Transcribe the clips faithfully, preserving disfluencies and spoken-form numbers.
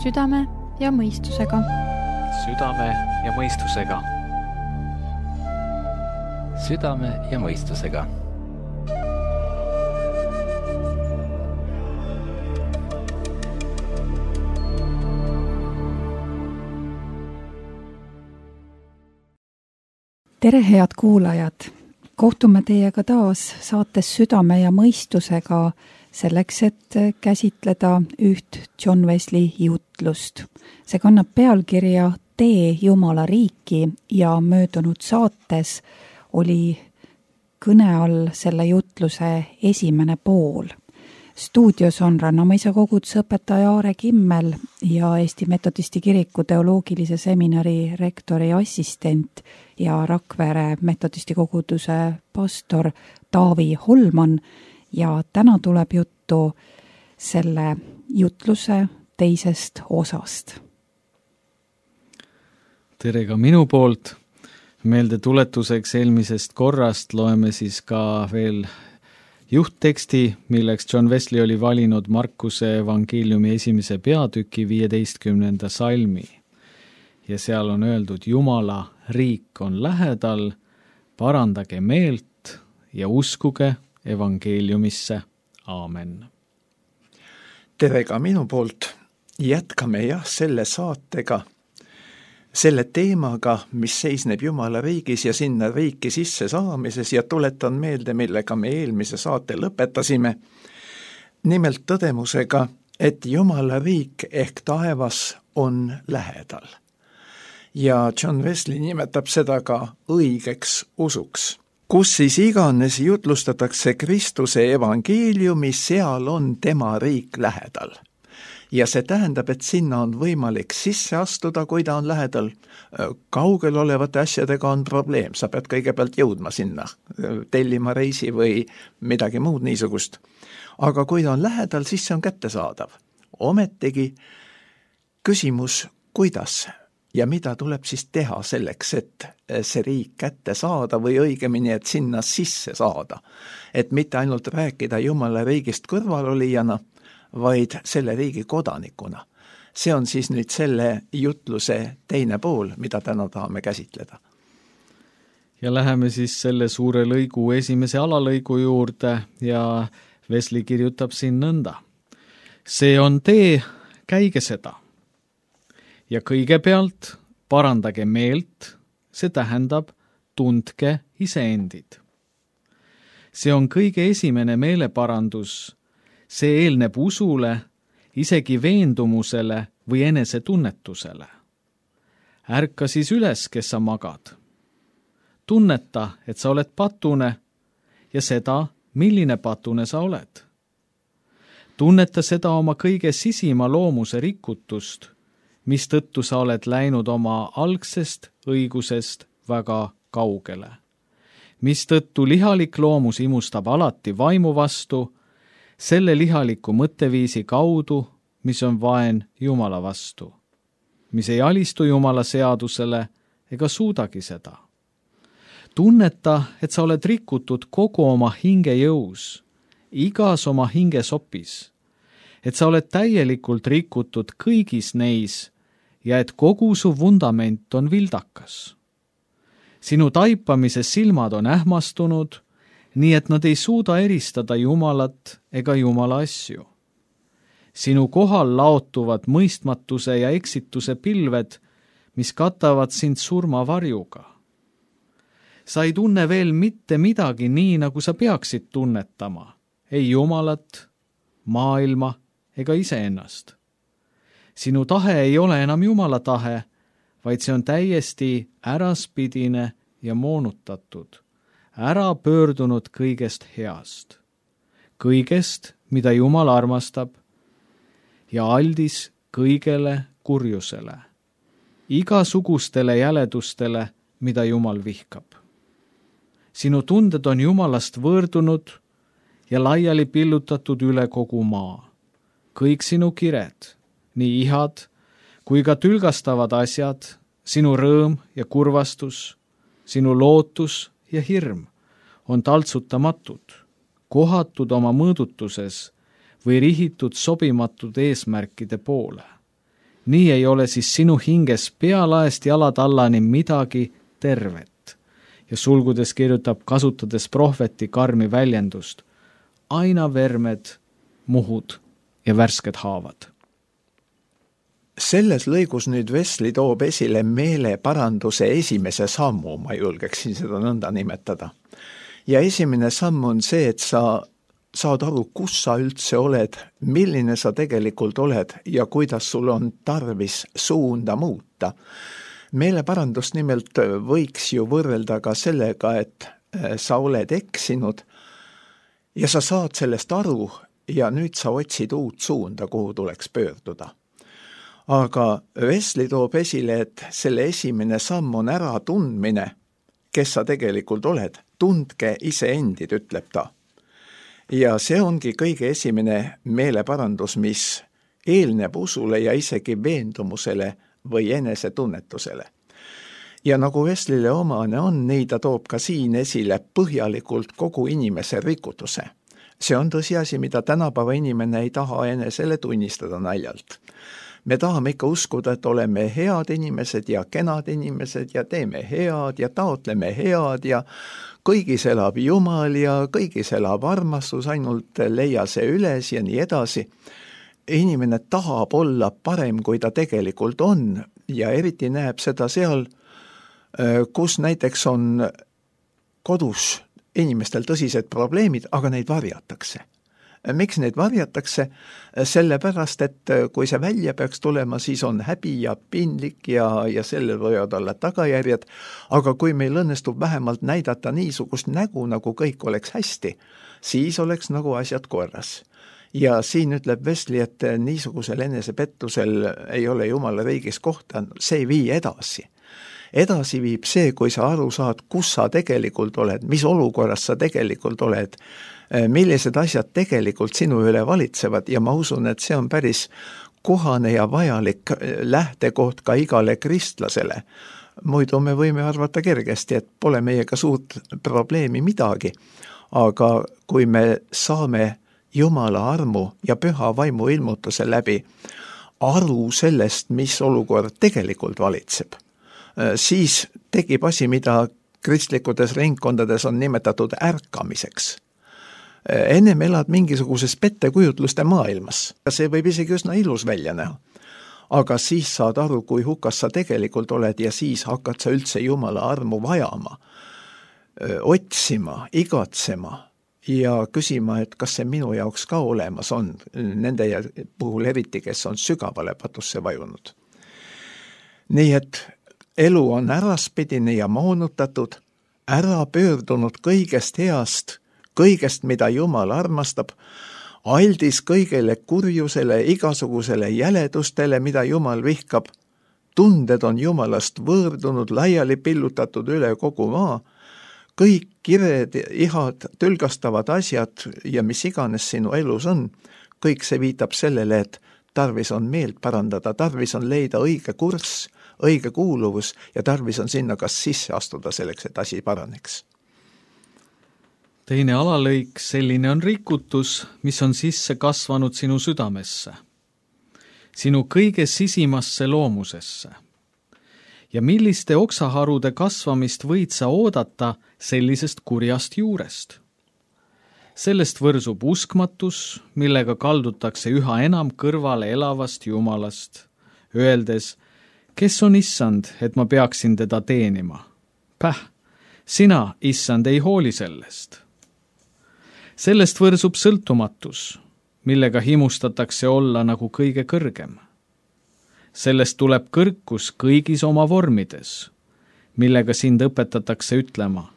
Südame ja mõistusega. Südame ja mõistusega. Südame ja mõistusega. Tere, head kuulajad! Kohtume teiega taas saates Südame ja mõistusega selleks, et käsitleda üht John Wesley jutlust. See kannab pealkirja Tee Jumala riiki ja möödunud saates oli kõne all selle jutluse esimene pool. Stuudios on Rannamõisa koguduse õpetaja Aare Kimmel ja Eesti Metodisti Kiriku teoloogilise seminari rektori assistent ja Rakvere Metodisti koguduse pastor Taavi Holman ja täna tuleb juttu selle jutluse teisest osast. Tere ka minu poolt. Meelde tuletuseks eelmisest korrast loeme siis ka veel juhtteksti, milleks John Wesley oli valinud Markuse evangeeliumi esimese peatüki viieteistkümnenda salmi. Ja seal on öeldud, Jumala riik on lähedal, parandage meelt ja uskuge evangeeliumisse. Aamen. Tere ka minu poolt. Jätkame jah selle saatega, selle teemaga, mis seisneb Jumala riigis ja sinna riiki sisse saamises ja tuletan meelde, millega me eelmise saate lõpetasime. Nimelt tõdemusega, et Jumala riik ehk taevas on lähedal. Ja John Wesley nimetab seda ka õigeks usuks. Kus siis iganes jutlustatakse Kristuse evangeeliumi, seal on tema riik lähedal. Ja see tähendab, et sinna on võimalik sisse astuda, kui ta on lähedal. Kaugel olevate asjadega on probleem, sa pead kõigepealt jõudma sinna, tellima reisi või midagi muud niisugust. Aga kui ta on lähedal, siis see on kättesaadav. Ometigi küsimus, kuidas ja mida tuleb siis teha selleks, et see riik kätte saada või õigemini, et sinna sisse saada. Et mitte ainult rääkida Jumala riigist kõrvalolijana, vaid selle riigi kodanikuna. See on siis nüüd selle jutluse teine pool, mida täna tahame käsitleda. Ja läheme siis selle suure lõigu esimese alalõigu juurde ja Wesley kirjutab siin nõnda. See on tee, käige seda. Ja kõigepealt parandage meelt, see tähendab tundke iseendid. See on kõige esimene meeleparandus. See eelneb usule, isegi veendumusele või enesetunnetusele. Ärka siis üles, kes sa magad. Tunneta, et sa oled patune ja seda, milline patune sa oled. Tunneta seda oma kõige sisima loomuse rikutust, mistõttu sa oled läinud oma algsest õigusest väga kaugele. Mistõttu lihalik loomus imustab alati vaimu vastu, selle lihaliku mõtteviisi kaudu, mis on vaen Jumala vastu, mis ei alistu Jumala seadusele ega suudagi seda. Tunneta, et sa oled rikutud kogu oma hinge jõus, igas oma hinge sopis, et sa oled täielikult rikutud kõigis neis ja et kogu su vundament on vildakas. Sinu taipamise silmad on ähmastunud, nii et nad ei suuda eristada Jumalat ega Jumala asju. Sinu kohal laotuvad mõistmatuse ja eksituse pilved, mis katavad sind surmavarjuga. Sa ei tunne veel mitte midagi nii, nagu sa peaksid tunnetama, ei Jumalat, maailma ega iseennast. Sinu tahe ei ole enam Jumala tahe, vaid see on täiesti äraspidine ja moonutatud. Ära pöördunud kõigest heast, kõigest, mida Jumal armastab, ja aldis kõigele kurjusele, igasugustele jäledustele, mida Jumal vihkab. Sinu tunded on Jumalast võõrdunud ja laiali pillutatud üle kogu maa. Kõik sinu kired, nii ihad kui ka tülgastavad asjad, sinu rõõm ja kurvastus, sinu lootus ja hirm on taltsutamatud, kohatud oma mõõdutuses või rihitud sobimatud eesmärkide poole. nii ei ole siis sinu hinges pealaest jalatallani midagi tervet. Ja sulgudes kirjutab, kasutades prohveti karmi väljendust, aina vermed, muhud ja värsked haavad. Selles lõigus nüüd Wesley toob esile meeleparanduse esimese sammu, ma julgeksin seda nõnda nimetada. Ja esimene samm on see, et sa saad aru, kus sa üldse oled, milline sa tegelikult oled ja kuidas sul on tarvis suunda muuta. Meeleparandust nimelt võiks ju võrrelda ka sellega, et sa oled eksinud ja sa saad sellest aru ja nüüd sa otsid uut suunda, kuhu tuleks pöörduda. Aga Wesley toob esile, et selle esimene samm on ära tundmine, kes sa tegelikult oled. Tundke iseendid, ütleb ta. Ja see ongi kõige esimene meeleparandus, mis eelneb usule ja isegi veendumusele või enesetunnetusele. Ja nagu Wesley'le omane on, nii ta toob ka siin esile põhjalikult kogu inimese rikutuse. See on tõsiasi, mida tänapäeva inimene ei taha enesele tunnistada naljalt. Me tahame ikka uskuda, et oleme head inimesed ja kenad inimesed ja teeme head ja taotleme head ja kõigis elab Jumal ja kõigis elab armastus, ainult leia see üles ja nii edasi. Inimene tahab olla parem, kui ta tegelikult on ja eriti näeb seda seal, kus näiteks on kodus inimestel tõsised probleemid, aga neid varjatakse. Miks neid varjatakse? Sellepärast, et kui see välja peaks tulema, siis on häbi ja pinlik ja, ja sellel võivad olla tagajärjed, aga kui meil õnnestub vähemalt näidata niisugust nägu, nagu kõik oleks hästi, siis oleks nagu asjad korras. Ja siin ütleb Wesley, et niisugusel enesepettusel ei ole Jumala riigis kohta, see ei vii edasi. Edasi viib see, kui sa aru saad, kus sa tegelikult oled, mis olukorras sa tegelikult oled, millised asjad tegelikult sinu üle valitsevad ja ma usun, et see on päris kohane ja vajalik lähtekoht ka igale kristlasele. Muidu me võime arvata kergesti, et pole meiega suurt probleemi midagi, aga kui me saame Jumala armu ja püha vaimu ilmutuse läbi aru sellest, mis olukord tegelikult valitseb, siis tekib asi, mida kristlikudes ringkondades on nimetatud ärkamiseks. Ennem elad mingisuguses pettekujutluste maailmas. See võib isegi üsna ilus välja näha. Aga siis saad aru, kui hukas sa tegelikult oled ja siis hakkad sa üldse Jumala armu vajama, otsima, igatsema ja küsima, et kas see minu jaoks ka olemas on, nende puhul eriti, kes on sügavale patusse vajunud. Nii et elu on äraspidine ja moonutatud, ära pöördunud kõigest heast, kõigest, mida Jumal armastab, aldis kõigele kurjusele, igasugusele jäledustele, mida Jumal vihkab. Tunded on Jumalast võõrdunud, laiali pillutatud üle kogu maa. Kõik kired, ihad, tülgastavad asjad ja mis iganes sinu elus on, kõik see viitab sellele, et tarvis on meelt parandada, tarvis on leida õige kurss, õige kuuluvus ja tarvis on sinna kas sisse astuda selleks, et asi paraneks. Teine alalõik, selline on rikutus, mis on sisse kasvanud sinu südamesse, sinu kõige sisimasse loomusesse. Ja milliste oksaharude kasvamist võid sa oodata sellisest kurjast juurest? Sellest võrsub uskmatus, millega kaldutakse üha enam kõrvale elavast Jumalast, öeldes, kes on issand, et ma peaksin teda teenima? Päh, sina, issand, ei hooli sellest. Sellest võrsub sõltumatus, millega himustatakse olla nagu kõige kõrgem. Sellest tuleb kõrkus kõigis oma vormides, millega sind õpetatakse ütlema,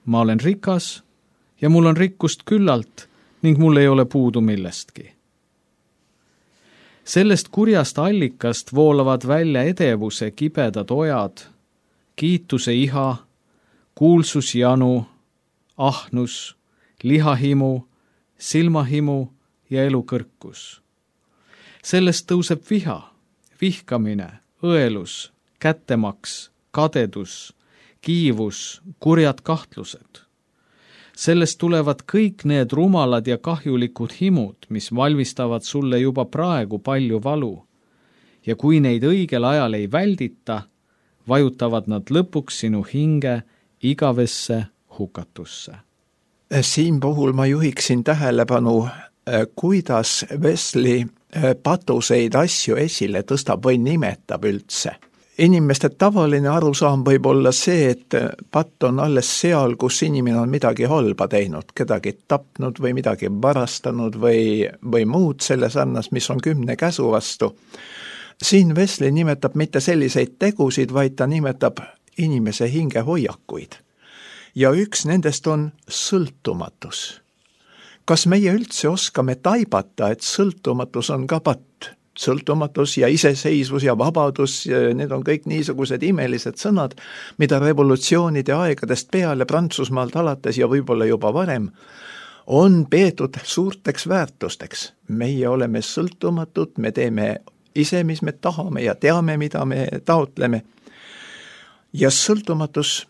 ma olen rikas ja mul on rikkust küllalt ning mul ei ole puudu millestki. Sellest kurjast allikast voolavad välja edevuse kibedad ojad, kiituse iha, kuulsusjanu, ahnus, lihahimu, silmahimu ja elukõrkus. Sellest tõuseb viha, vihkamine, õelus, kättemaks, kadedus, kiivus, kurjad kahtlused. Sellest tulevad kõik need rumalad ja kahjulikud himud, mis valmistavad sulle juba praegu palju valu ja kui neid õigel ajal ei väldita, vajutavad nad lõpuks sinu hinge igavesse hukatusse. Siin puhul ma juhiksin tähelepanu, kuidas Wesley patuseid asju esile tõstab või nimetab üldse. Inimeste tavaline arusaam võib olla see, et patt on alles seal, kus inimene on midagi halba teinud, kedagi tapnud või midagi varastanud või, või muud selle sarnast, mis on kümne käsu vastu. Siin Wesley nimetab mitte selliseid tegusid, vaid ta nimetab inimese hingehoiakuid. Ja üks nendest on sõltumatus. Kas meie üldse oskame taibata, et sõltumatus on ka patt? Sõltumatus ja iseseisvus ja vabadus, need on kõik niisugused imelised sõnad, mida revolutsioonide aegadest peale Prantsusmaalt alates ja võib-olla juba varem on peetud suurteks väärtusteks. Meie oleme sõltumatud, me teeme ise, mis me tahame ja teame, mida me taotleme. Ja sõltumatus,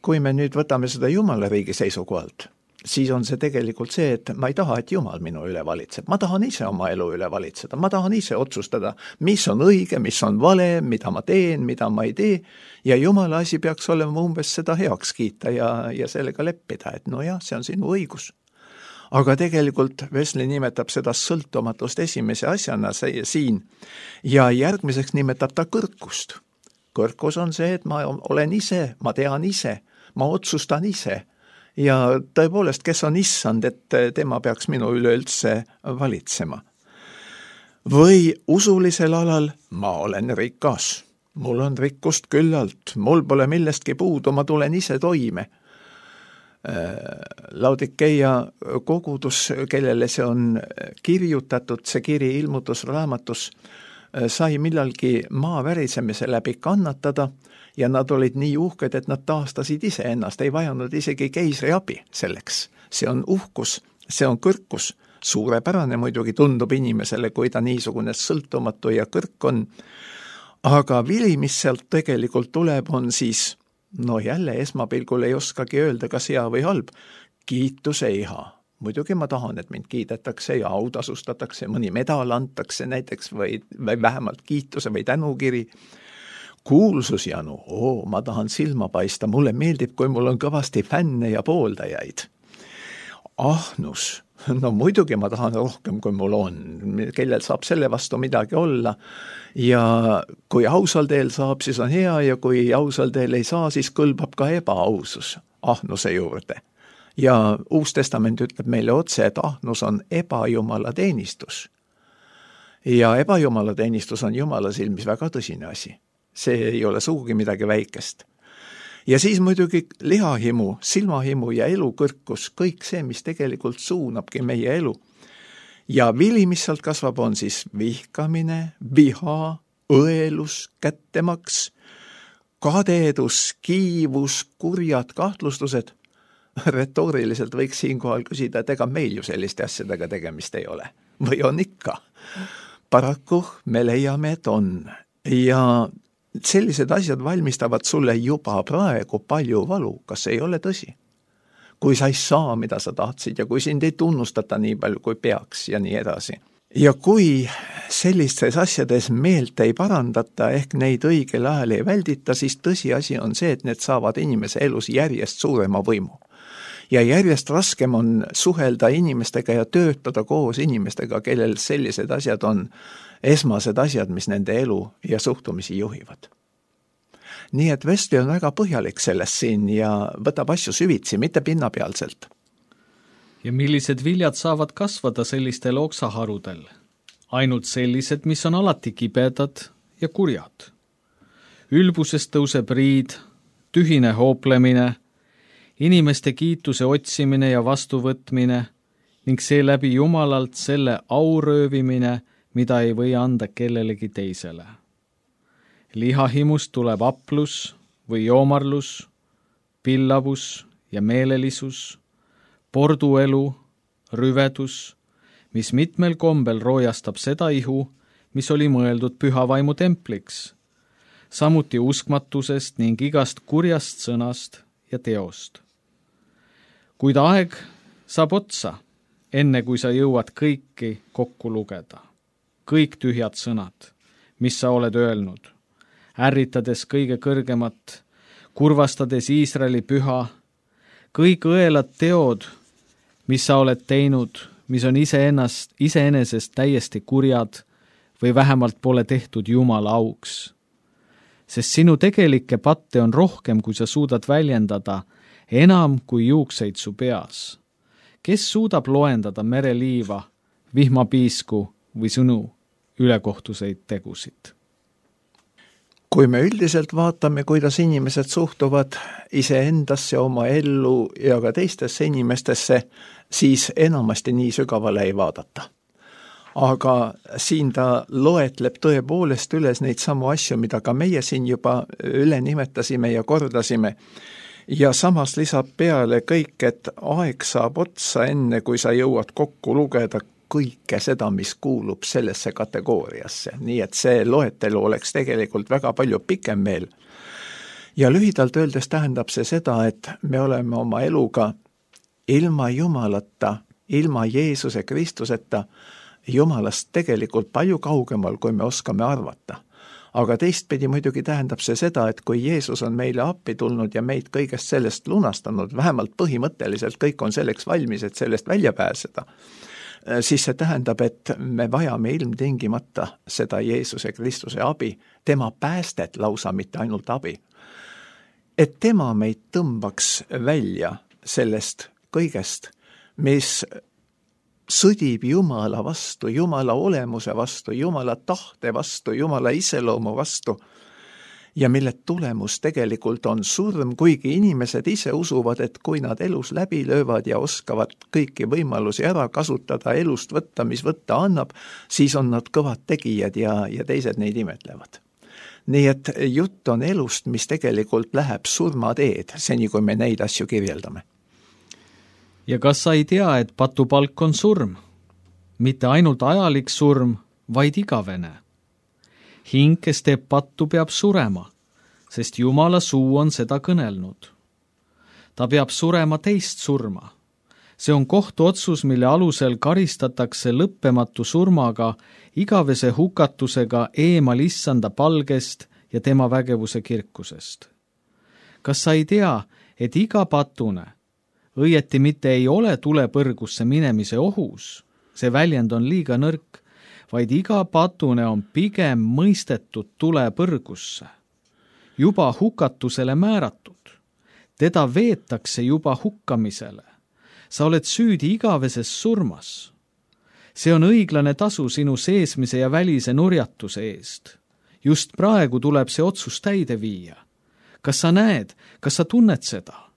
kui me nüüd võtame seda Jumala riigi seisukohalt, siis on see tegelikult see, et ma ei taha, et Jumal minu üle valitseb. Ma tahan ise oma elu üle valitseda. Ma tahan ise otsustada, mis on õige, mis on vale, mida ma teen, mida ma ei tee. Ja Jumala asi peaks olema umbes seda heaks kiita ja, ja sellega leppida, et no jah, see on sinu õigus. Aga tegelikult Wesley nimetab seda sõltumatust esimese asjana siin ja järgmiseks nimetab ta kõrkust. Kõrkus on see, et ma olen ise, ma tean ise, ma otsustan ise. Ja tõepoolest, kes on issand, et tema peaks minu üleüldse valitsema. Või usulisel alal ma olen rikas. Mul on rikkust küllalt, mul pole millestki puudu, ma tulen ise toime. Laodikeia kogudus, kellele see on kirjutatud, see kiri ilmutusraamatus, sai millalgi maa värisemise läbi kannatada ja nad olid nii uhked, et nad taastasid ise ennast, ei vajanud isegi keisri abi selleks. See on uhkus, see on kõrkus. Suurepärane muidugi tundub inimesele, kui ta niisugune sõltumatu ja kõrk on. Aga vili, mis sealt tegelikult tuleb, on siis, no jälle esmapilgul ei oskagi öelda, kas hea või halb, kiituse iha. Muidugi ma tahan, et mind kiidetakse ja autasustatakse, mõni medal antakse näiteks või, või vähemalt kiituse või tänukiri. Kuulsusjanu, oo, ma tahan silma paista, mulle meeldib, kui mul on kõvasti fänne ja pooldajaid. Ahnus, no muidugi ma tahan rohkem, kui mul on, kellel saab selle vastu midagi olla. Ja kui ausal teel saab, siis on hea ja kui ausal teel ei saa, siis kõlbab ka ebaausus ahnuse juurde. Ja Uus Testament ütleb meile otse, et ahnus on ebajumala teenistus. Ja ebajumala teenistus on Jumala silmis väga tõsine asi. See ei ole sugugi midagi väikest. Ja siis muidugi lihahimu, silmahimu ja elukõrkus, kõik see, mis tegelikult suunabki meie elu. Ja vili, mis sealt kasvab, on siis vihkamine, viha, õelus, kättemaks, kadedus, kiivus, kurjad kahtlustused. Retooriliselt võiks siinkohal küsida, et ega meil ju selliste asjadega tegemist ei ole. Või on ikka? Paraku me leiame, et on. Ja sellised asjad valmistavad sulle juba praegu palju valu, kas ei ole tõsi? Kui sa ei saa, mida sa tahtsid ja kui sind ei tunnustata nii palju, kui peaks ja nii edasi. Ja kui sellistes asjades meelt ei parandata ehk neid õigel ajal ei väldita, siis tõsiasi on see, et need saavad inimese elus järjest suurema võimu. Ja järjest raskem on suhelda inimestega ja töötada koos inimestega, kellel sellised asjad on esmased asjad, mis nende elu ja suhtumisi juhivad. Nii et Wesley on väga põhjalik sellest siin ja võtab asju süvitsi, mitte pinnapealselt. Ja millised viljad saavad kasvada sellistel oksaharudel? Ainult sellised, mis on alati kibedad ja kurjad. Ülbusest tõuseb riid, tühine hooplemine, inimeste kiituse otsimine ja vastuvõtmine ning seeläbi Jumalalt selle auröövimine, mida ei või anda kellelegi teisele. Lihahimust tuleb aplus või joomarlus, pillavus ja meelelisus, porduelu, rüvedus, mis mitmel kombel roojastab seda ihu, mis oli mõeldud pühavaimu templiks, samuti uskmatusest ning igast kurjast sõnast ja teost. Kuid aeg saab otsa, enne kui sa jõuad kõiki kokku lugeda. Kõik tühjad sõnad, mis sa oled öelnud, ärritades kõige kõrgemat, kurvastades Iisraeli püha, kõik õelad teod, mis sa oled teinud, mis on iseennast, iseenesest täiesti kurjad või vähemalt pole tehtud Jumala auks. Sest sinu tegelikke patte on rohkem, kui sa suudad väljendada, enam kui juukseid su peas. Kes suudab loendada mereliiva, vihmapiisku või sõnu ülekohtuseid tegusid? Kui me üldiselt vaatame, kuidas inimesed suhtuvad iseendasse, oma ellu ja ka teistesse inimestesse, siis enamasti nii sügavale ei vaadata. Aga siin ta loetleb tõepoolest üles neid samu asju, mida ka meie siin juba üle nimetasime ja kordasime. Ja samas lisab peale kõik, et aeg saab otsa enne, kui sa jõuad kokku lugeda kõike seda, mis kuulub sellesse kategooriasse. Nii et see loetelu oleks tegelikult väga palju pikem veel. Ja lühidalt öeldes tähendab see seda, et me oleme oma eluga ilma Jumalata, ilma Jeesuse Kristuseta, Jumalast tegelikult palju kaugemal, kui me oskame arvata. Aga teistpidi muidugi tähendab see seda, et kui Jeesus on meile appi tulnud ja meid kõigest sellest lunastanud, vähemalt põhimõtteliselt kõik on selleks valmis, et sellest välja pääseda, siis see tähendab, et me vajame ilmtingimata seda Jeesuse Kristuse abi, tema päästet lausa, mitte ainult abi. Et tema meid tõmbaks välja sellest kõigest, mis sõdib Jumala vastu, Jumala olemuse vastu, Jumala tahte vastu, Jumala iseloomu vastu ja mille tulemus tegelikult on surm, kuigi inimesed ise usuvad, et kui nad elus läbi löövad ja oskavad kõiki võimalusi ära kasutada, elust võtta, mis võtta annab, siis on nad kõvad tegijad ja, ja teised neid imetlevad. Nii et jutt on elust, mis tegelikult läheb surmateed, seni kui me neid asju kirjeldame. Ja kas sa ei tea, et patupalk on surm? Mitte ainult ajalik surm, vaid igavene. Hing, kes teeb pattu, peab surema, sest Jumala suu on seda kõnelnud. Ta peab surema teist surma. See on kohtuotsus, mille alusel karistatakse lõppematu surmaga, igavese hukatusega eemal issanda palgest ja tema vägevuse kirkusest. Kas sa ei tea, et iga patune õieti mitte ei ole tulepõrgusse minemise ohus, see väljend on liiga nõrk, vaid iga patune on pigem mõistetud tulepõrgusse, juba hukatusele määratud. Teda veetakse juba hukkamisele. Sa oled süüdi igaveses surmas. See on õiglane tasu sinu seesmise ja välise nurjatuse eest. Just praegu tuleb see otsus täide viia. Kas sa näed, kas sa tunned seda?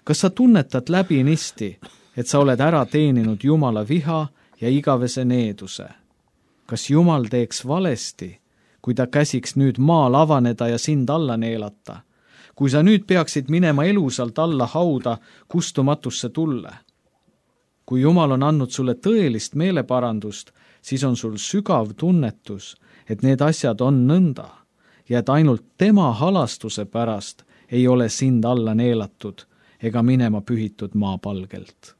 Kas sa tunnetad läbi nisti, et sa oled ära teeninud Jumala viha ja igavese needuse? Kas Jumal teeks valesti, kui ta käsiks nüüd maal avaneda ja sind alla neelata? Kui sa nüüd peaksid minema elusalt alla hauda kustumatusse tulle? Kui Jumal on andnud sulle tõelist meeleparandust, siis on sul sügav tunnetus, et need asjad on nõnda ja et ainult tema halastuse pärast ei ole sind alla neelatud ega minema pühitud maapalgelt.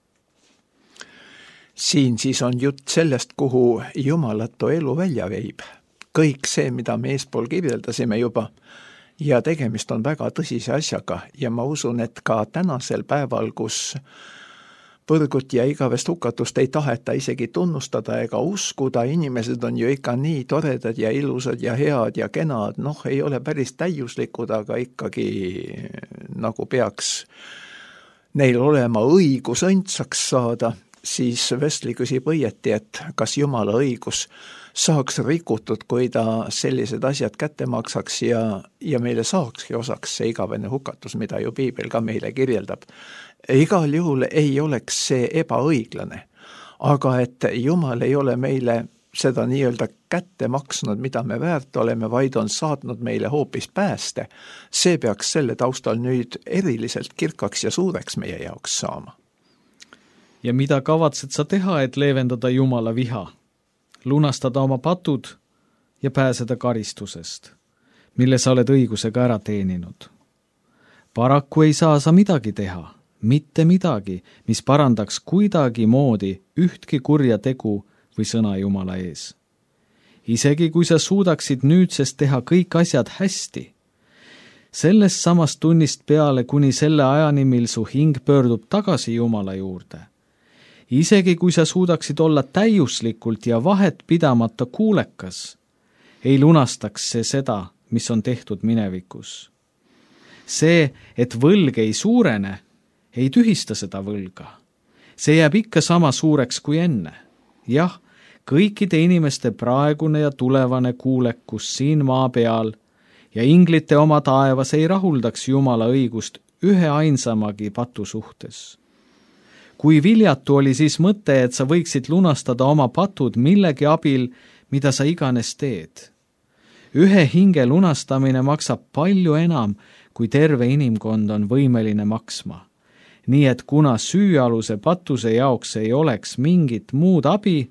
Siin siis on jutt sellest, kuhu jumalatu elu välja veib. Kõik see, mida me eespool kirjeldasime juba, ja tegemist on väga tõsise asjaga ja ma usun, et ka tänasel päeval, kus põrgut ja igavest hukatust ei taheta isegi tunnustada ega uskuda, inimesed on ju ikka nii toredad ja ilusad ja head ja kenad, noh, ei ole päris täiuslikud, aga ikkagi nagu peaks neil olema õigus õndsaks saada, siis Wesley küsib õieti, et kas Jumala õigus saaks rikutud, kui ta sellised asjad kätte maksaks ja, ja meile saakski osaks see igavene hukatus, mida ju Piibel ka meile kirjeldab. Igal juhul ei oleks see ebaõiglane, aga et Jumal ei ole meile seda nii-öelda kätte maksnud, mida me väärt oleme, vaid on saatnud meile hoopis pääste. See peaks selle taustal nüüd eriliselt kirkaks ja suureks meie jaoks saama. Ja mida kavatsed sa teha, et leevendada Jumala viha? Lunastada oma patud ja pääseda karistusest, mille sa oled õigusega ära teeninud. Paraku ei saa sa midagi teha, mitte midagi, mis parandaks kuidagi moodi ühtki kurja tegu või sõna Jumala ees. isegi kui sa suudaksid nüüdsest teha kõik asjad hästi. Sellest samast tunnist peale kuni selle ajani, mil su hing pöördub tagasi Jumala juurde. Isegi kui sa suudaksid olla täiuslikult ja vahet pidamata kuulekas, ei lunastaks see seda, mis on tehtud minevikus. See, et võlg ei suurene, ei tühista seda võlga. See jääb ikka sama suureks kui enne. Jah, kõikide inimeste praegune ja tulevane kuulekus siin maa peal ja inglite oma taevas ei rahuldaks Jumala õigust ühe ainsamagi patu suhtes. Kui viljatu oli siis mõte, et sa võiksid lunastada oma patud millegi abil, mida sa iganes teed. Ühe hinge lunastamine maksab palju enam, kui terve inimkond on võimeline maksma. Nii et kuna süüaluse patuse jaoks ei oleks mingit muud abi,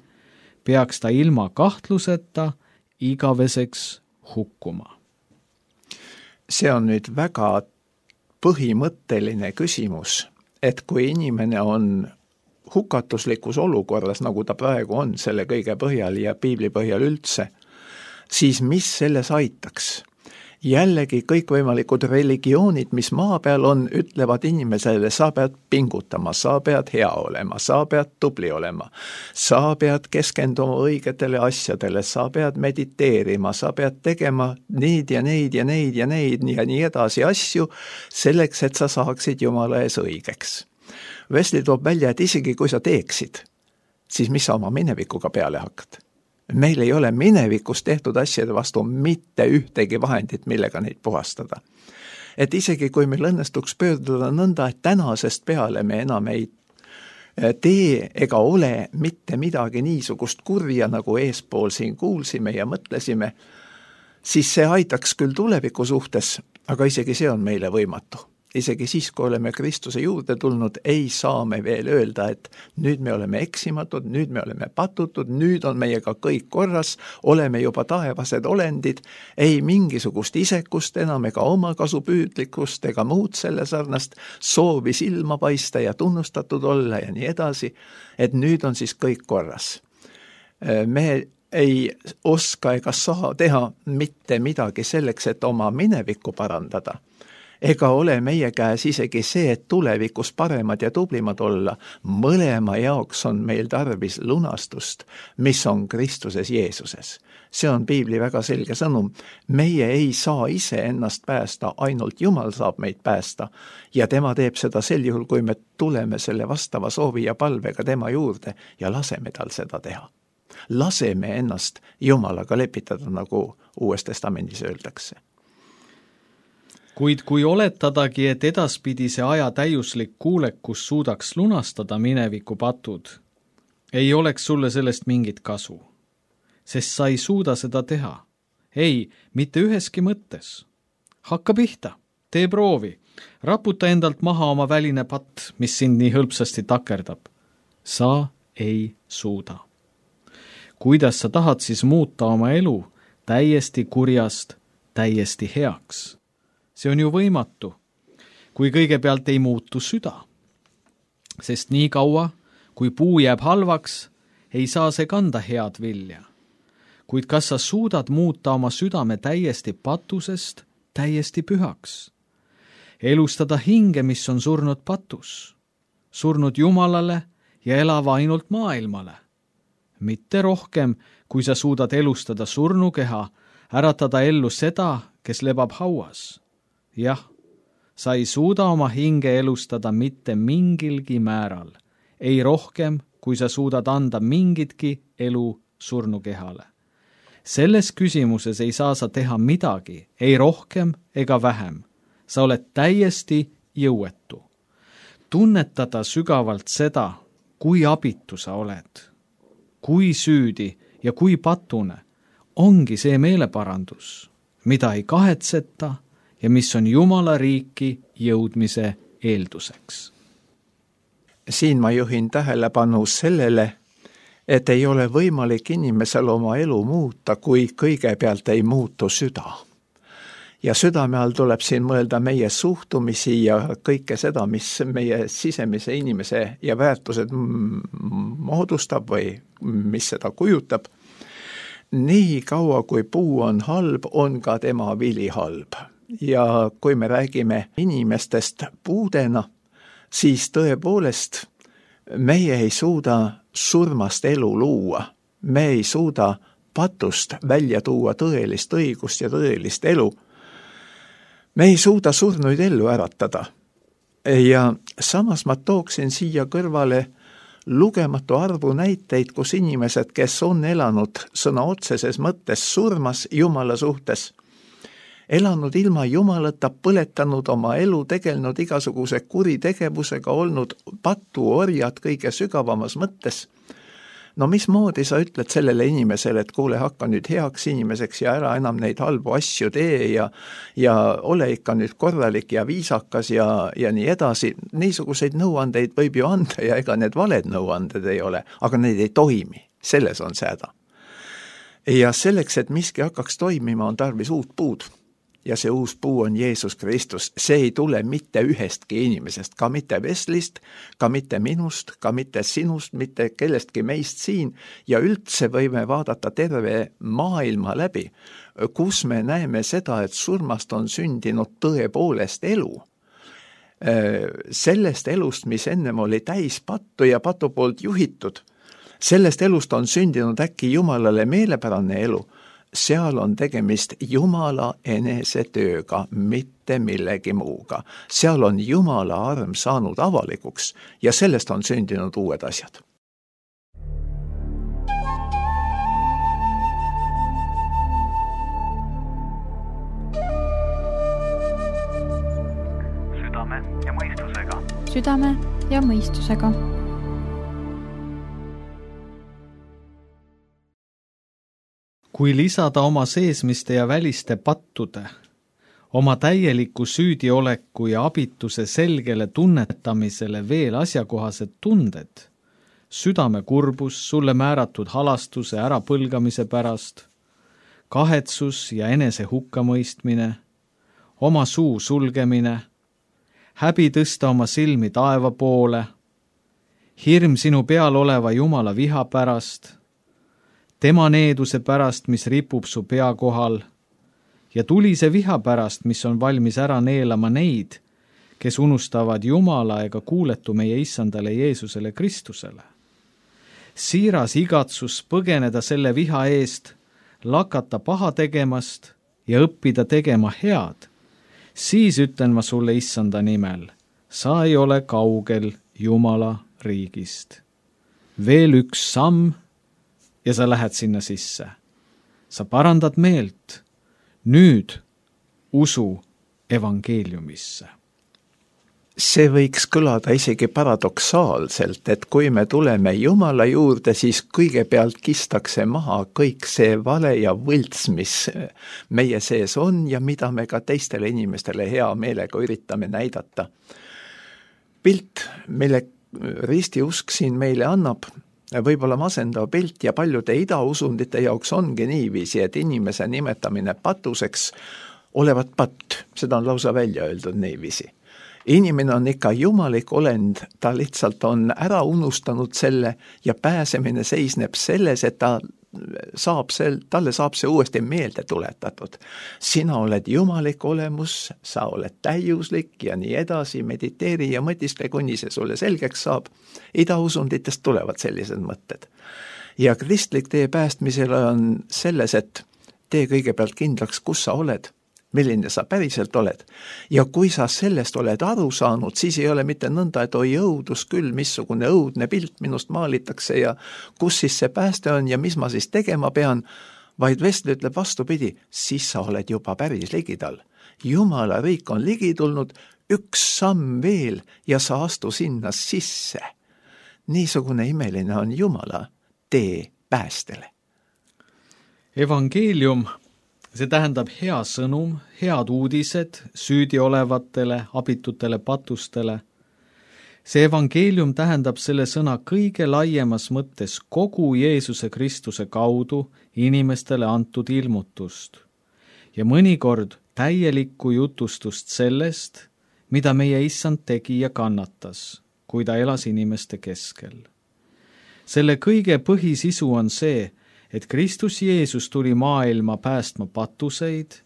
peaks ta ilma kahtluseta igaveseks hukkuma. See on nüüd väga põhimõtteline küsimus, et kui inimene on hukatuslikus olukorras, nagu ta praegu on selle kõige põhjal ja piibli põhjal üldse, siis mis selles aitaks? Jällegi kõikvõimalikud religioonid, mis maa peal on, ütlevad inimesele, sa pead pingutama, sa pead hea olema, sa pead tubli olema, sa pead keskenduma õigetele asjadele, sa pead mediteerima, sa pead tegema neid ja neid ja neid ja neid ja nii edasi asju, selleks, et sa saaksid Jumala ees õigeks. Wesley toob välja, et isegi kui sa teeksid, siis mis sa oma minevikuga peale hakkad? Meil ei ole minevikus tehtud asjade vastu mitte ühtegi vahendit, millega neid puhastada. Et isegi kui meil õnnestuks pöörduda nõnda, et tänasest peale me enam ei tee ega ole mitte midagi niisugust kurja, nagu eespool siin kuulsime ja mõtlesime, siis see aitaks küll tuleviku suhtes, aga isegi see on meile võimatu. Isegi siis, kui oleme Kristuse juurde tulnud, ei saa me veel öelda, et nüüd me oleme eksimatud, nüüd me oleme patutud, nüüd on meiega kõik korras, oleme juba taevased olendid, ei mingisugust isekust enam ega omakasupüüdlikkust ega muud selle sarnast, soovi silma paista ja tunnustatud olla ja nii edasi, et nüüd on siis kõik korras. Me ei oska ega saa teha mitte midagi selleks, et oma minevikku parandada. Ega ole meie käes isegi see, et tulevikus paremad ja tublimad olla. Mõlema jaoks on meil tarvis lunastust, mis on Kristuses Jeesuses. See on piibli väga selge sõnum. Meie ei saa ise ennast päästa, ainult Jumal saab meid päästa. Ja tema teeb seda sel juhul, kui me tuleme selle vastava soovi ja palvega tema juurde ja laseme tal seda teha. Laseme ennast Jumalaga lepitada, nagu Uues Testamendis öeldakse. Kuid kui oletadagi, et edaspidise aja täiuslik kuulekus suudaks lunastada mineviku patud, ei oleks sulle sellest mingit kasu, sest sa ei suuda seda teha. Ei, mitte üheski mõttes. Hakka pihta, tee proovi, raputa endalt maha oma väline patt, mis sind nii hõlpsasti takerdab. Sa ei suuda. Kuidas sa tahad siis muuta oma elu täiesti kurjast, täiesti heaks? See on ju võimatu, kui kõigepealt ei muutu süda. Sest nii kaua, kui puu jääb halvaks, ei saa see kanda head vilja. Kuid kas sa suudad muuta oma südame täiesti patusest, täiesti pühaks? Elustada hinge, mis on surnud patus, surnud Jumalale ja elava ainult maailmale. Mitte rohkem, kui sa suudad elustada surnukeha, äratada ellu seda, kes lebab hauas. Jah, sa ei suuda oma hinge elustada mitte mingilgi määral, ei rohkem, kui sa suudad anda mingitki elu surnukehale. Selles küsimuses ei saa sa teha midagi, ei rohkem ega vähem. Sa oled täiesti jõuetu. Tunnetada sügavalt seda, kui abitu sa oled, kui süüdi ja kui patune, ongi see meeleparandus, mida ei kahetseta ja mis on Jumala riiki jõudmise eelduseks. Siin ma juhin tähelepanu sellele, et ei ole võimalik inimesel oma elu muuta, kui kõigepealt ei muutu süda. Ja südame all tuleb siin mõelda meie suhtumisi ja kõike seda, mis meie sisemise inimese ja väärtused moodustab või mis seda kujutab. nii kaua, kui puu on halb, on ka tema vili halb. Ja kui me räägime inimestest puudena, siis tõepoolest meie ei suuda surmast elu luua. Me ei suuda patust välja tuua tõelist õigust ja tõelist elu. Me ei suuda surnuid ellu äratada. Ja samas ma tooksin siia kõrvale lugematu arvu näiteid, kus inimesed, kes on elanud sõna otseses mõttes surmas Jumala suhtes, elanud ilma Jumalata, põletanud oma elu, tegelnud igasuguse kuritegevusega, olnud patuorjad kõige sügavamas mõttes. No mismoodi sa ütled sellele inimesele, et kuule, hakka nüüd heaks inimeseks ja ära enam neid halbu asju tee ja, ja ole ikka nüüd korralik ja viisakas ja, ja nii edasi. Niisuguseid nõuandeid võib ju anda ja ega need valed nõuanded ei ole, aga need ei toimi. Selles on see häda. Ja selleks, et miski hakkaks toimima, on tarvis uut puud. Ja see uus puu on Jeesus Kristus. See ei tule mitte ühestki inimesest, ka mitte Weslist, ka mitte minust, ka mitte sinust, mitte kellestki meist siin. Ja üldse võime vaadata terve maailma läbi, kus me näeme seda, et surmast on sündinud tõepoolest elu. Sellest elust, mis ennem oli täis pattu ja patu poolt juhitud, sellest elust on sündinud äkki Jumalale meelepärane elu. Seal on tegemist Jumala enese tööga, mitte millegi muuga. Seal on Jumala arm saanud avalikuks ja sellest on sündinud uued asjad. Südame ja mõistusega. Südame ja mõistusega. Kui lisada oma seesmiste ja väliste pattude, oma täieliku süüdioleku ja abituse selgele tunnetamisele veel asjakohased tunded, südame kurbus sulle määratud halastuse ärapõlgamise pärast, kahetsus ja enese hukkamõistmine, oma suu sulgemine, häbi tõsta oma silmi taeva poole, hirm sinu peal oleva Jumala viha pärast, tema needuse pärast, mis ripub su pea kohal, ja tulise viha pärast, mis on valmis ära neelama neid, kes unustavad Jumala ega kuuletu meie issandale Jeesusele Kristusele. Siiras igatsus põgeneda selle viha eest, lakata paha tegemast ja õppida tegema head, siis ütlen ma sulle issanda nimel, sa ei ole kaugel Jumala riigist. Veel üks samm, ja sa lähed sinna sisse. Sa parandad meelt. Nüüd usu evangeeliumisse. See võiks kõlada isegi paradoksaalselt, et kui me tuleme Jumala juurde, siis kõigepealt kistakse maha kõik see vale ja võlts, mis meie sees on ja mida me ka teistele inimestele hea meelega üritame näidata. Pilt, mille ristiusk siin meile annab, võib-olla masendav pilt ja paljude idausundite jaoks ongi niiviisi, et inimese nimetamine patuseks olevat patt, seda on lausa välja öeldud niiviisi. Inimene on ikka jumalik olend, ta lihtsalt on ära unustanud selle ja pääsemine seisneb selles, et ta saab sel, talle saab see uuesti meelde tuletatud. Sina oled jumalik olemus, sa oled täiuslik ja nii edasi, mediteeri ja mõtistle, kuni see sulle selgeks saab. Idausunditest tulevad sellised mõtted. Ja kristlik tee päästmisele on selles, et tee kõigepealt kindlaks, kus sa oled, milline sa päriselt oled. Ja kui sa sellest oled aru saanud, siis ei ole mitte nõnda, et oi õudus küll, missugune õudne pilt minust maalitakse ja kus siis see pääste on ja mis ma siis tegema pean, vaid Wesley ütleb vastupidi, siis sa oled juba päris ligidal. Jumala riik on ligi tulnud, üks samm veel ja sa astu sinna sisse. Niisugune imeline on Jumala tee päästele. Evangeelium, see tähendab hea sõnum, head uudised süüdi olevatele, abitutele, patustele. See evangeelium tähendab selle sõna kõige laiemas mõttes kogu Jeesuse Kristuse kaudu inimestele antud ilmutust ja mõnikord täielikku jutustust sellest, mida meie issand tegi ja kannatas, kui ta elas inimeste keskel. Selle kõige põhisisu on see, et Kristus Jeesus tuli maailma päästma patuseid,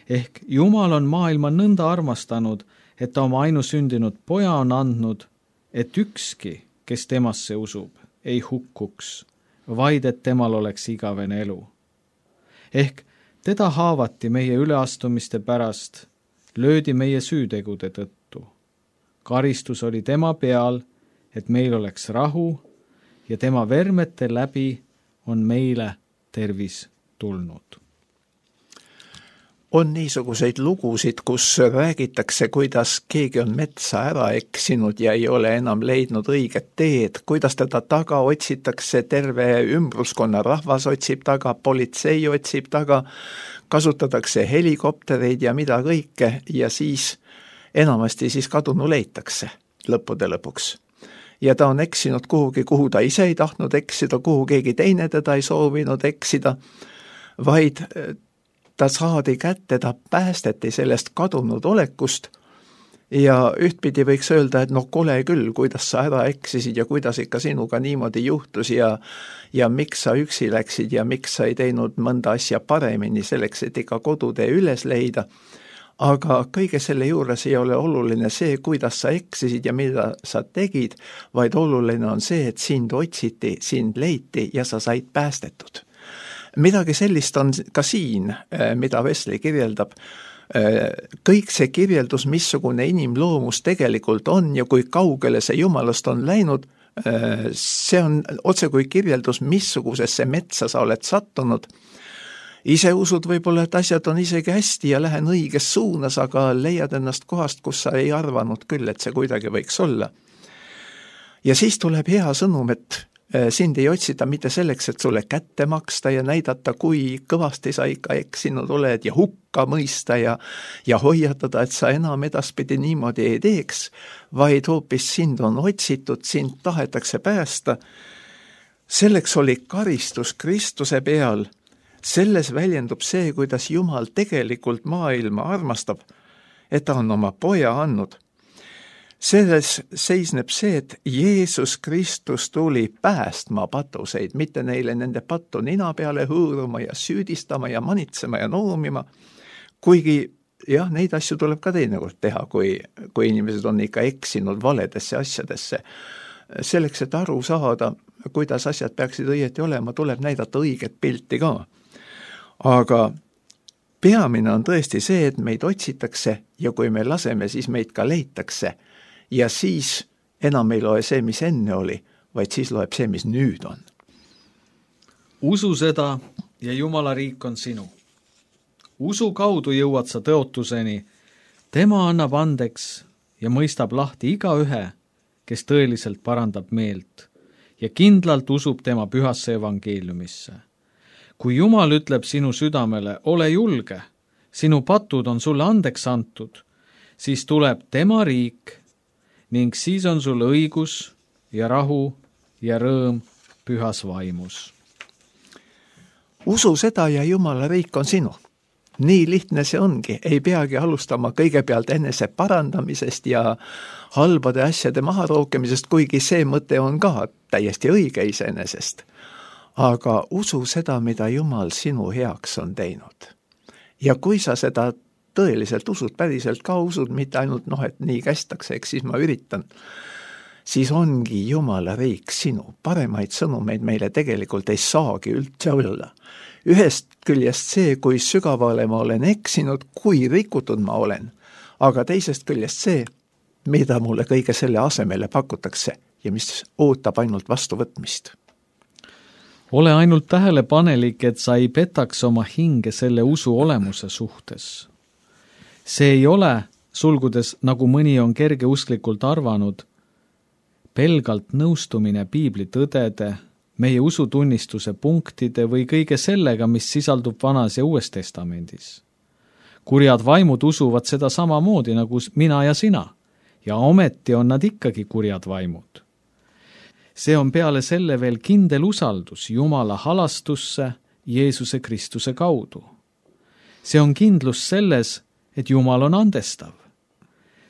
ehk Jumal on maailma nõnda armastanud, et ta oma ainusündinud poja on andnud, et ükski, kes temasse usub, ei hukkuks, vaid et temal oleks igavene elu. Ehk teda haavati meie üleastumiste pärast, löödi meie süütegude tõttu. Karistus oli tema peal, et meil oleks rahu ja tema vermete läbi on meile tervis tulnud. On niisuguseid lugusid, kus räägitakse, kuidas keegi on metsa ära eksinud ja ei ole enam leidnud õiget teed, kuidas teda taga otsitakse, terve ümbruskonna rahvas otsib taga, politsei otsib taga, kasutatakse helikoptereid ja mida kõike ja siis enamasti siis kadunu leitakse lõppude lõpuks. Ja ta on eksinud kuhugi, kuhu ta ise ei tahtnud eksida, kuhu keegi teine teda ei soovinud eksida, vaid ta saadi kätte, ta päästeti sellest kadunud olekust ja ühtpidi võiks öelda, et no kole küll, kuidas sa ära eksisid ja kuidas ikka sinuga niimoodi juhtus ja, ja miks sa üksi läksid ja miks sa ei teinud mõnda asja paremini selleks, et ikka kodutee üles leida. Aga kõige selle juures ei ole oluline see, kuidas sa eksisid ja mida sa tegid, vaid oluline on see, et sind otsiti, sind leiti ja sa said päästetud. Midagi sellist on ka siin, mida Wesley kirjeldab. Kõik see kirjeldus, missugune inimloomus tegelikult on ja kui kaugele see Jumalast on läinud, see on otse kui kirjeldus, missugusesse metsa sa oled sattunud. Ise usud võib-olla, et asjad on isegi hästi ja lähen õiges suunas, aga leiad ennast kohast, kus sa ei arvanud küll, et see kuidagi võiks olla. Ja siis tuleb hea sõnum, et sind ei otsita mitte selleks, et sulle kätte maksta ja näidata, kui kõvasti sa ikka eksinud oled ja hukka mõista ja, ja hoiatada, et sa enam edaspidi niimoodi ei teeks, vaid hoopis sind on otsitud, sind tahetakse päästa. Selleks oli karistus Kristuse peal. Selles väljendub see, kuidas Jumal tegelikult maailma armastab, et ta on oma poja andnud. Selles seisneb see, et Jeesus Kristus tuli päästma patuseid, mitte neile nende pattu nina peale hõõruma ja süüdistama ja manitsema ja noomima, kuigi jah, neid asju tuleb ka teinekord teha, kui, kui inimesed on ikka eksinud valedesse asjadesse. Selleks, et aru saada, kuidas asjad peaksid õieti olema, tuleb näidata õiget pilti ka. Aga peamine on tõesti see, et meid otsitakse ja kui me laseme, siis meid ka leitakse. Ja siis enam ei loe see, mis enne oli, vaid siis loeb see, mis nüüd on. Usu seda ja Jumala riik on sinu. Usu kaudu jõuad sa tõotuseni. Tema annab andeks ja mõistab lahti iga ühe, kes tõeliselt parandab meelt ja kindlalt usub tema pühasse evangeeliumisse. Kui Jumal ütleb sinu südamele, ole julge, sinu patud on sulle andeks antud, siis tuleb tema riik ning siis on sul õigus ja rahu ja rõõm pühas vaimus. Usu seda ja Jumala riik on sinu. Nii lihtne see ongi, ei peagi alustama kõigepealt enese parandamisest ja halbade asjade maharookemisest, kuigi see mõte on ka täiesti õige iseenesest. Aga usu seda, mida Jumal sinu heaks on teinud. Ja kui sa seda tõeliselt usud, päriselt ka usud, mitte ainult noh, et nii kästakse, eks siis ma üritan, siis ongi Jumala riik sinu. Paremaid sõnumeid meile tegelikult ei saagi üldse olla. Ühest küljest see, kui sügavale ma olen eksinud, kui rikutud ma olen, aga teisest küljest see, mida mulle kõige selle asemele pakutakse ja mis ootab ainult vastuvõtmist. Ole ainult tähelepanelik, et sa ei petaks oma hinge selle usu olemuse suhtes. See ei ole, sulgudes nagu mõni on kergeusklikult arvanud, pelgalt nõustumine piibli tõdede, meie usutunnistuse punktide või kõige sellega, mis sisaldub Vanas ja Uues testamendis. Kurjad vaimud usuvad seda samamoodi nagu mina ja sina, ja ometi on nad ikkagi kurjad vaimud. See on peale selle veel kindel usaldus Jumala halastusse Jeesuse Kristuse kaudu. See on kindlus selles, et Jumal on andestav.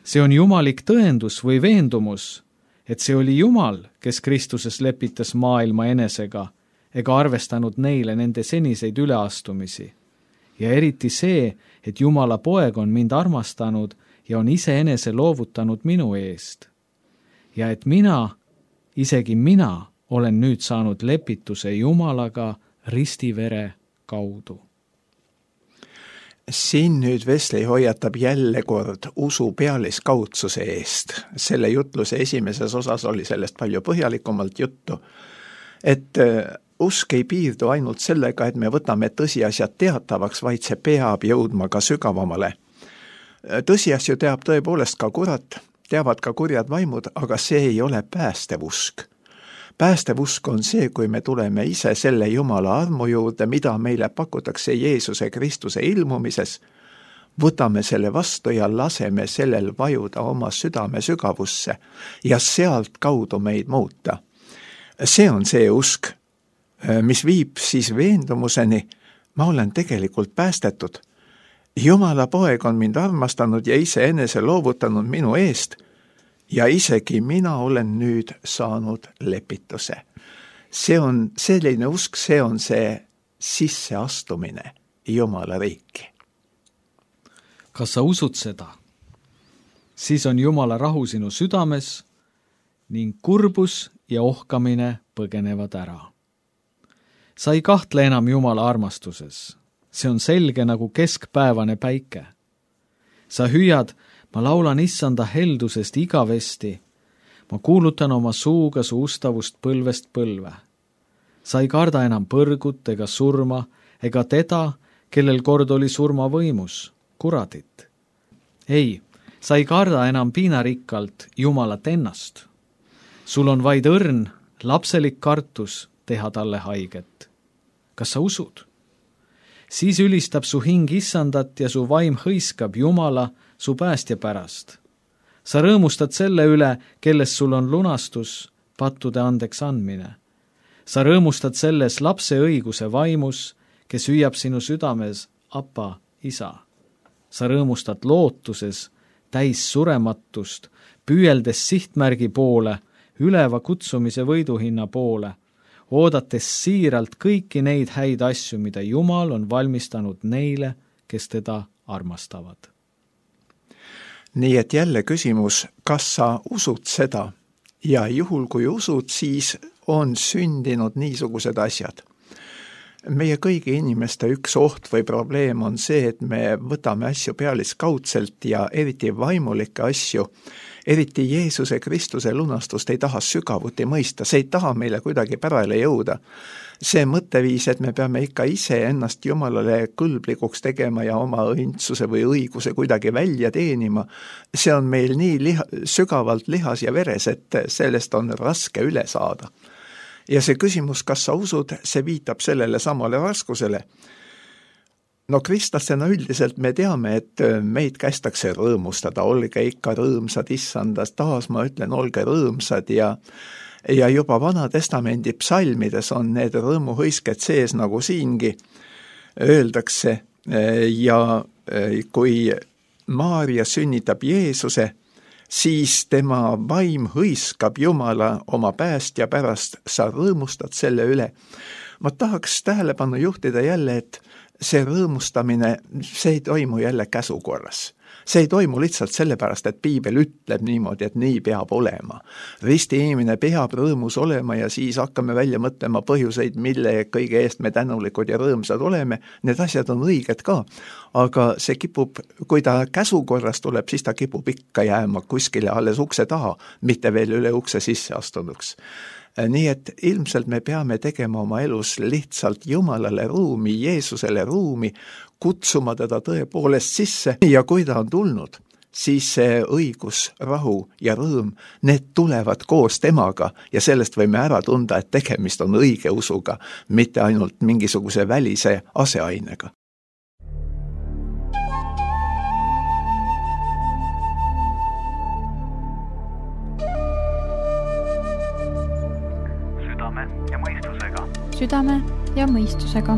See on jumalik tõendus või veendumus, et see oli Jumal, kes Kristuses lepitas maailma enesega ega arvestanud neile nende seniseid üleastumisi. Ja eriti see, et Jumala poeg on mind armastanud ja on iseenese loovutanud minu eest. Ja et mina, isegi mina, olen nüüd saanud lepituse Jumalaga ristivere kaudu. Siin nüüd Wesley hoiatab jälle kord usu pealiskaudsuse eest. Selle jutluse esimeses osas oli sellest palju põhjalikumalt juttu, et usk ei piirdu ainult sellega, et me võtame tõsiasjad teatavaks, vaid see peab jõudma ka sügavamale. Tõsiasju teab tõepoolest ka kurat, teavad ka kurjad vaimud, aga see ei ole päästev usk. Päästev usk on see, kui me tuleme ise selle Jumala armu juurde, mida meile pakutakse Jeesuse Kristuse ilmumises, võtame selle vastu ja laseme sellel vajuda oma südame sügavusse ja sealt kaudu meid muuta. See on see usk, mis viib siis veendumuseni, ma olen tegelikult päästetud. Jumala poeg on mind armastanud ja iseenese loovutanud minu eest ja isegi mina olen nüüd saanud lepituse. See on selline usk, see on see sisseastumine Jumala riiki. Kas sa usud seda? Siis on Jumala rahu sinu südames ning kurbus ja ohkamine põgenevad ära. Sa ei kahtle enam Jumala armastuses. See on selge nagu keskpäevane päike. Sa hüüad, ma laulan issanda heldusest igavesti. Ma kuulutan oma suuga su ustavust põlvest põlve. Sa ei karda enam põrgut ega surma, ega teda, kellel kord oli surma võimus, kuradit. Ei, sa ei karda enam piinarikkalt Jumalat ennast. Sul on vaid õrn, lapselik kartus teha talle haiget. Kas sa usud? Siis ülistab su hing issandat ja su vaim hõiskab Jumala su päästja pärast. Sa rõõmustad selle üle, kelles sul on lunastus, pattude andeks andmine. Sa rõõmustad selles lapse õiguse vaimus, kes hüüab sinu südames, apa, isa. Sa rõõmustad lootuses, täis surematust, püüeldes sihtmärgi poole, üleva kutsumise võiduhinna poole, oodates siiralt kõiki neid häid asju, mida Jumal on valmistanud neile, kes teda armastavad. Nii et jälle küsimus, kas sa usud seda? Ja juhul kui usud, siis on sündinud niisugused asjad. Meie kõigi inimeste üks oht või probleem on see, et me võtame asju pealiskaudselt ja eriti vaimulikke asju, eriti Jeesuse Kristuse lunastust ei taha sügavuti mõista, see ei taha meile kuidagi pärale jõuda. See mõtteviis, et me peame ikka ise ennast Jumalale kõlblikuks tegema ja oma õndsuse või õiguse kuidagi välja teenima, see on meil nii liha, sügavalt lihas ja veres, et sellest on raske üle saada. Ja see küsimus, kas sa usud, see viitab sellele samale raskusele. No kristlastena üldiselt me teame, et meid kästakse rõõmustada, olge ikka rõõmsad issandas, taas ma ütlen, olge rõõmsad ja, ja juba Vana Testamendi psalmides on need rõõmuhõisked sees nagu siingi öeldakse ja kui Maaria sünnitab Jeesuse, siis tema vaim hõiskab Jumala oma päästja pärast, sa rõõmustad selle üle. Ma tahaks tähelepanu juhtida jälle, et see rõõmustamine, see ei toimu jälle käsukorras. See ei toimu lihtsalt sellepärast, et piibel ütleb niimoodi, et nii peab olema. Risti inimene peab rõõmus olema ja siis hakkame välja mõtlema põhjuseid, mille kõige eest me tänulikud ja rõõmsad oleme. Need asjad on õiged ka, aga see kipub, kui ta käsukorras tuleb, siis ta kipub ikka jääma kuskile alles ukse taha, mitte veel üle ukse sisse astunuks. Nii et ilmselt me peame tegema oma elus lihtsalt Jumalale ruumi, Jeesusele ruumi, kutsuma teda tõepoolest sisse ja kui ta on tulnud, siis see õigus, rahu ja rõõm, need tulevad koos temaga ja sellest võime ära tunda, et tegemist on õige usuga, mitte ainult mingisuguse välise aseainega. Südame ja mõistusega.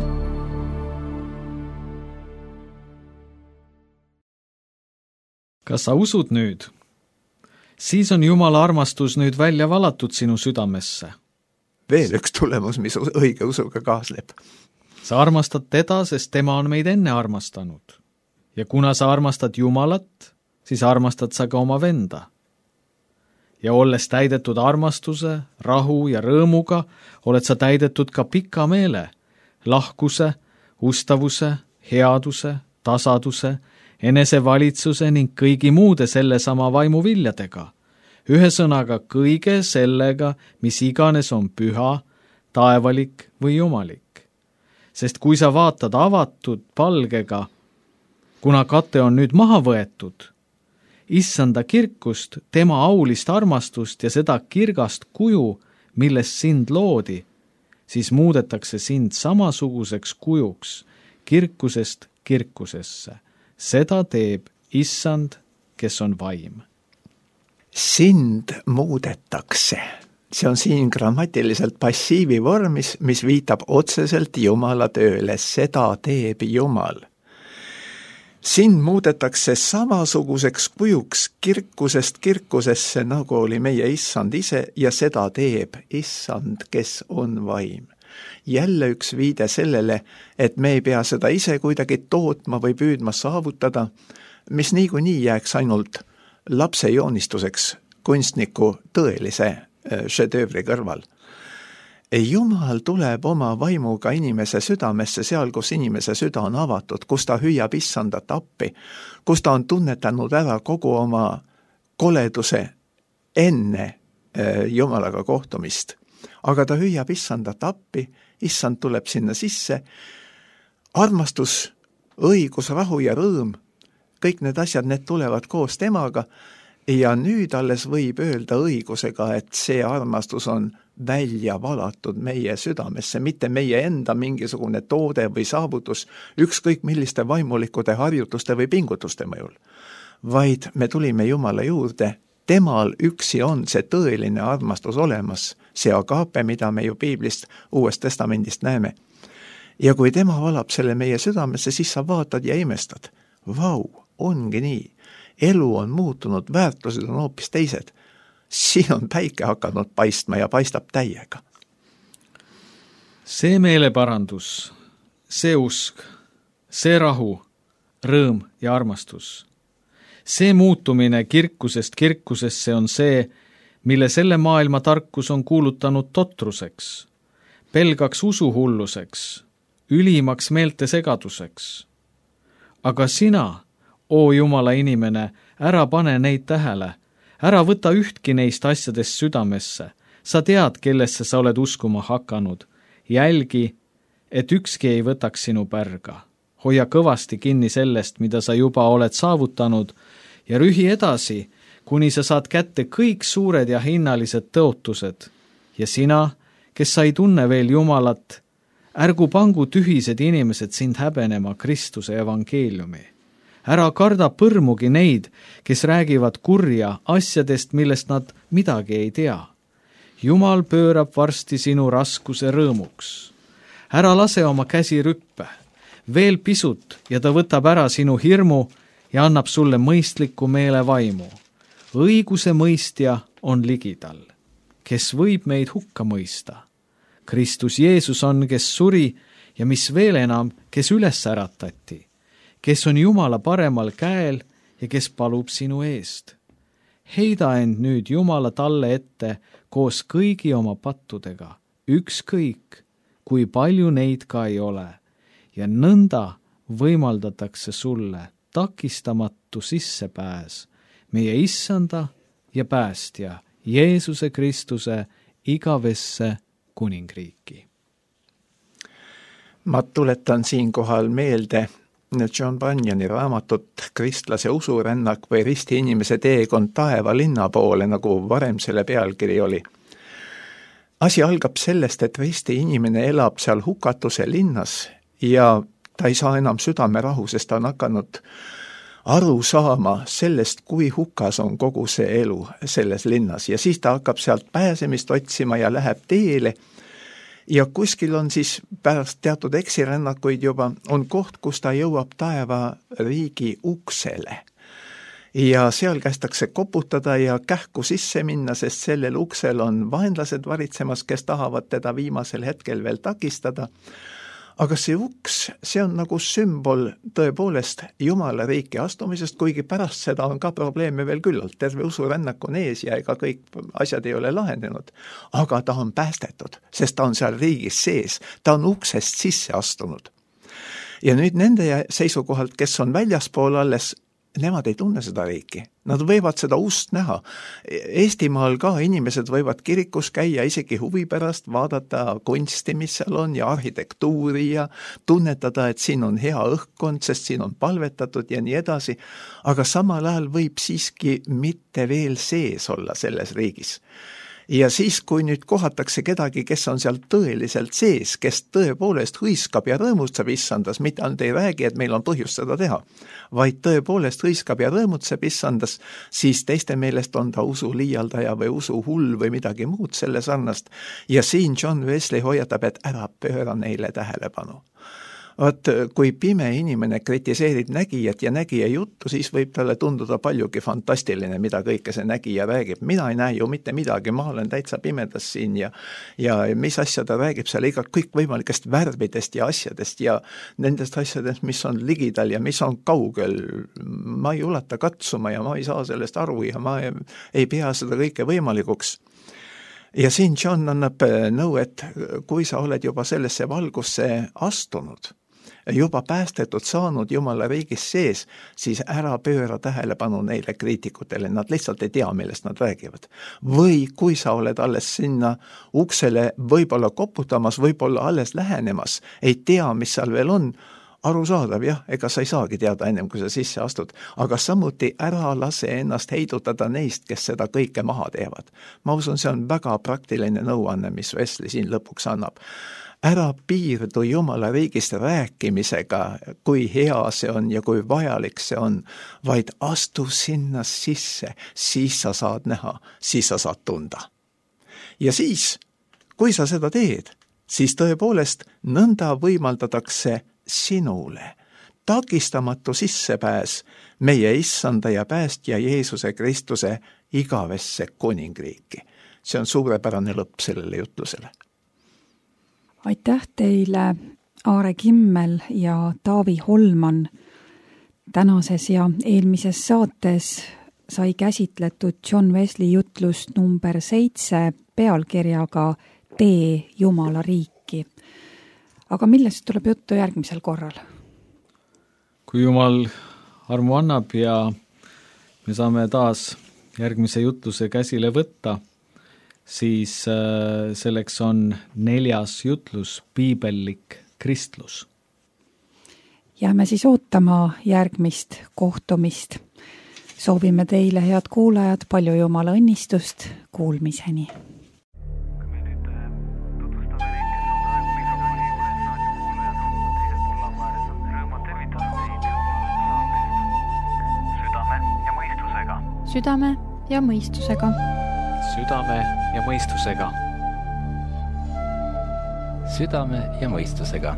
Kas sa usud nüüd? Siis on Jumala armastus nüüd välja valatud sinu südamesse. veel üks tulemus, mis õige usuga kaasleb. sa armastad teda, sest tema on meid enne armastanud. ja kuna sa armastad Jumalat, siis armastad sa ka oma venda. ja olles täidetud armastuse, rahu ja rõõmuga, oled sa täidetud ka pika meele, lahkuse, ustavuse, headuse, tasaduse, enesevalitsuse ning kõigi muude sellesama vaimuviljadega. Ühesõnaga kõige sellega, mis iganes on püha, taevalik või jumalik. Sest kui sa vaatad avatud palgega, kuna kate on nüüd maha võetud, issanda kirkust, tema aulist armastust ja seda kirgast kuju, milles sind loodi, siis muudetakse sind samasuguseks kujuks kirkusest kirkusesse. Seda teeb issand, kes on vaim. Sind muudetakse. See on siin grammatiliselt passiivi vormis, mis viitab otseselt Jumala tööle. Seda teeb Jumal. Sind muudetakse samasuguseks kujuks kirkusest kirkusesse, nagu oli meie issand ise, ja seda teeb issand, kes on vaim. Jälle üks viide sellele, et me ei pea seda ise kuidagi tootma või püüdma saavutada, mis niikuinii jääks ainult lapse joonistuseks kunstniku tõelise šedöövri kõrval. Jumal tuleb oma vaimuga inimese südamesse seal, kus inimese süda on avatud, kus ta hüüab issandat appi, kus ta on tunnetanud ära kogu oma koleduse enne Jumalaga kohtumist. Aga ta hüüab issandat appi, issand tuleb sinna sisse, armastus, õigus, rahu ja rõõm, kõik need asjad, need tulevad koos temaga ja nüüd alles võib öelda õigusega, et see armastus on välja valatud meie südamesse, mitte meie enda mingisugune toode või saavutus, ükskõik milliste vaimulikude harjutuste või pingutuste mõjul, vaid me tulime Jumala juurde, temal üksi on see tõeline armastus olemas, see agape, mida me ju piiblist Uuest Testamendist näeme. Ja kui tema valab selle meie südamesse, siis sa vaatad ja imestad. Vau, ongi nii. Elu on muutunud, väärtused on hoopis teised. Siin on päike hakanud paistma ja paistab täiega. See meeleparandus, see usk, see rahu, rõõm ja armastus. See muutumine kirkusest kirkusesse on see, mille selle maailma tarkus on kuulutanud totruseks, pelgaks usuhulluseks, ülimaks meeltesegaduseks. Aga sina, oo Jumala inimene, ära pane neid tähele, ära võta ühtki neist asjadest südamesse, sa tead, kellesse sa oled uskuma hakanud, jälgi, et ükski ei võtaks sinu pärga. Hoia kõvasti kinni sellest, mida sa juba oled saavutanud, ja rühi edasi, kuni sa saad kätte kõik suured ja hinnalised tõotused. Ja sina, kes sa ei tunne veel Jumalat, ärgu pangu tühised inimesed sind häbenema Kristuse evangeeliumi. Ära karda põrmugi neid, kes räägivad kurja asjadest, millest nad midagi ei tea. Jumal pöörab varsti sinu raskuse rõõmuks. Ära lase oma käsi rüppe, veel pisut ja ta võtab ära sinu hirmu ja annab sulle mõistliku meele vaimu. Õiguse mõistja on ligidal, kes võib meid hukka mõista. Kristus Jeesus on, kes suri ja mis veel enam, kes üles äratati, kes on Jumala paremal käel ja kes palub sinu eest. Heida end nüüd Jumala talle ette koos kõigi oma pattudega, ükskõik, kui palju neid ka ei ole, ja nõnda võimaldatakse sulle takistamatu sissepääs meie issanda ja päästja Jeesuse Kristuse igavesse kuningriiki. Ma tuletan siinkohal meelde John Bunyani raamatut Kristlase usurännak või risti inimese teekond taeva linna poole, nagu varem selle pealkiri oli. Asi algab sellest, et risti inimene elab seal hukatuse linnas ja ta ei saa enam südamerahu, sest ta on hakanud aru saama sellest, kui hukas on kogu see elu selles linnas. Ja siis ta hakkab sealt pääsemist otsima ja läheb teele. Ja kuskil on siis pärast teatud eksirännakuid juba on koht, kus ta jõuab taeva riigi uksele. ja seal kästakse koputada ja kähku sisse minna, sest sellel uksel on vaenlased varitsemas, kes tahavad teda viimasel hetkel veel takistada. Aga see uks, see on nagu sümbol tõepoolest Jumala riiki astumisest, kuigi pärast seda on ka probleeme veel küllalt. Terve usurännak on ees ja ega kõik asjad ei ole lahenenud. Aga ta on päästetud, sest ta on seal riigis sees. Ta on uksest sisse astunud. Ja nüüd nende seisukohalt, kes on väljaspool alles, nemad ei tunne seda riiki. Nad võivad seda ust näha. Eestimaal ka inimesed võivad kirikus käia isegi huvi pärast, vaadata kunsti, mis seal on ja arhitektuuri ja tunnetada, et siin on hea õhkkond, sest siin on palvetatud ja nii edasi. Aga samal ajal võib siiski mitte veel sees olla selles riigis. Ja siis, kui nüüd kohatakse kedagi, kes on seal tõeliselt sees, kes tõepoolest hõiskab ja rõõmutseb issandas, mitte ainult ei räägi, et meil on põhjust seda teha, vaid tõepoolest hõiskab ja rõõmutseb issandas, siis teiste meelest on ta usu liialdaja või usu hull või midagi muud selle sarnast. Ja siin John Wesley hoiatab, et ära pööra neile tähelepanu. Vaat, kui pime inimene kritiseerib nägijat ja nägija juttu, siis võib talle tunduda paljugi fantastiline, mida kõike see nägija räägib. Mina ei näe ju mitte midagi, ma olen täitsa pimedas siin ja, ja mis asja ta räägib seal iga kõik võimalikest värvidest ja asjadest ja nendest asjadest, mis on ligidal ja mis on kaugel. Ma ei ulata katsuma ja ma ei saa sellest aru ja ma ei, ei pea seda kõike võimalikuks. Ja siin John annab nõu, et kui sa oled juba sellesse valgusse astunud, juba päästetud saanud Jumala riigis sees, siis ära pööra tähelepanu neile kriitikutele, nad lihtsalt ei tea, millest nad räägivad. Või kui sa oled alles sinna uksele võib-olla koputamas, võib-olla alles lähenemas, ei tea, mis seal veel on, arusaadav, jah, ega sa ei saagi teada ennem, kui sa sisse astud, aga samuti ära lase ennast heidutada neist, kes seda kõike maha teevad. Ma usun, see on väga praktiline nõuanne, mis Wesley siin lõpuks annab. Ära piirdu Jumala riigist rääkimisega, kui hea see on ja kui vajalik see on, vaid astu sinna sisse, siis sa saad näha, siis sa saad tunda. Ja siis, kui sa seda teed, siis tõepoolest nõnda võimaldatakse sinule takistamatu sissepääs meie issanda ja päästja Jeesuse Kristuse igavesse kuningriiki. See on suurepärane lõpp sellele jutlusele. Aitäh teile, Aare Kimmel ja Taavi Holman. Tänases ja eelmises saates sai käsitletud John Wesley jutlust number seitse pealkirjaga Tee Jumala riiki. Aga millest tuleb juttu järgmisel korral? Kui Jumal armu annab ja me saame taas järgmise jutluse käsile võtta, siis selleks on neljas jutlus, piibellik kristlus. Jääme siis ootama järgmist kohtumist. Soovime teile, head kuulajad, palju Jumala õnnistust, kuulmiseni. Südame ja mõistusega. Südame ja mõistusega. Südame ja mõistusega.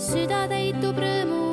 Süda täitub rõõmu